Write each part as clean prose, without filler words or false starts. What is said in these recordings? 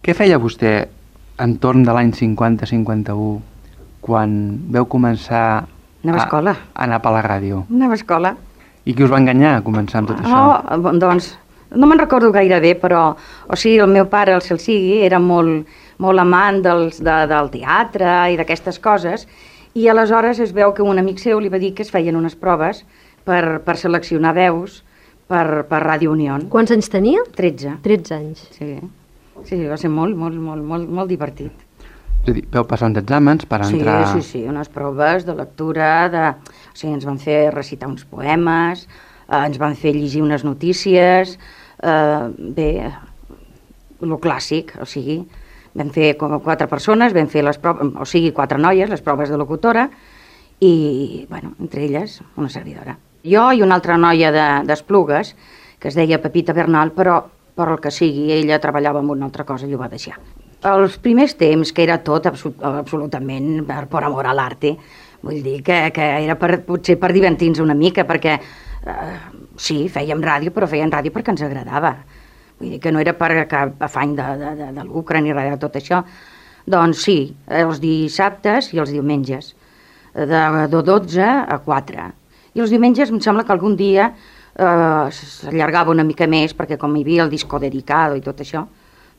Què feia vostè entorn de l'any 50-51 quan veu començar Anava a escola. a anar per la ràdio? Anava a escola. I qui us va enganyar a començar amb tot això? No, doncs, no me'n recordo gaire bé, però, o sigui, el meu pare, el cel sigui, era molt amant del teatre i d'aquestes coses, i aleshores es veu que un amic seu li va dir que es feien unes proves per seleccionar veus per Ràdio Unió. Quants anys tenia? 13. 13 anys. Sí, va ser molt divertit. És a dir, veu passar uns exàmens per entrar... Sí, unes proves de lectura, o sigui, ens van fer recitar uns poemes, ens van fer llegir unes notícies, bé, lo clàssic, o sigui, vam fer 4 persones, vam fer les proves, o sigui, 4 noies, les proves de locutora, i, bueno, entre elles, una servidora. Jo i una altra noia d'Esplugues, que es deia Pepita Bernal, però per el que sigui, ella treballava en una altra cosa i ho va deixar. Els primers temps, que era tot absolutament per amor a l'arte, vull dir que era potser per divertir-nos una mica, perquè sí, fèiem ràdio, però fèiem ràdio perquè ens agradava. Vull dir que no era per cap afany de lucre ni res de tot això. Doncs sí, els dissabtes i els diumenges, de 12 a 4. I els diumenges em sembla que algun dia s'allargava una mica més, perquè com hi havia el disco dedicado i tot això,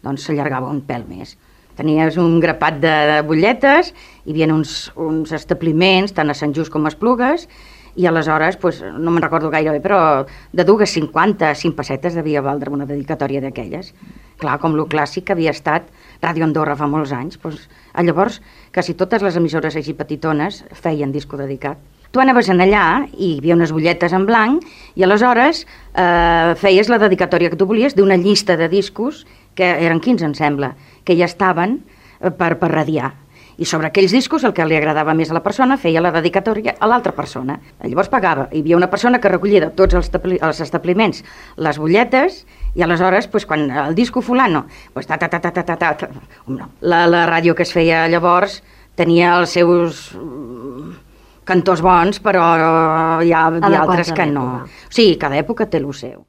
doncs s'allargava un pèl més. Tenies un grapat de butlletes, hi havia uns establiments, tant a Sant Just com a Esplugues, i aleshores, no me'n recordo gaire bé, però de 2,50 a 5 pessetes devia valdre una dedicatòria d'aquelles. Clar, com lo clàssic que havia estat Ràdio Andorra fa molts anys, llavors quasi totes les emissores així petitones feien disco dedicat. Tu anaves allà i hi havia unes butlletes en blanc i aleshores feies la dedicatòria que tu volies d'una llista de discos, que eren 15 em sembla, que ja estaven per radiar. I sobre aquells discos el que li agradava més a la persona feia la dedicatòria a l'altra persona. Llavors pagava. Hi havia una persona que recollia de tots els establiments les butlletes i aleshores, quan el disco fulano, la ràdio que es feia llavors tenia els seus cantors bons, però hi ha altres que no. O sigui, cada època té el seu.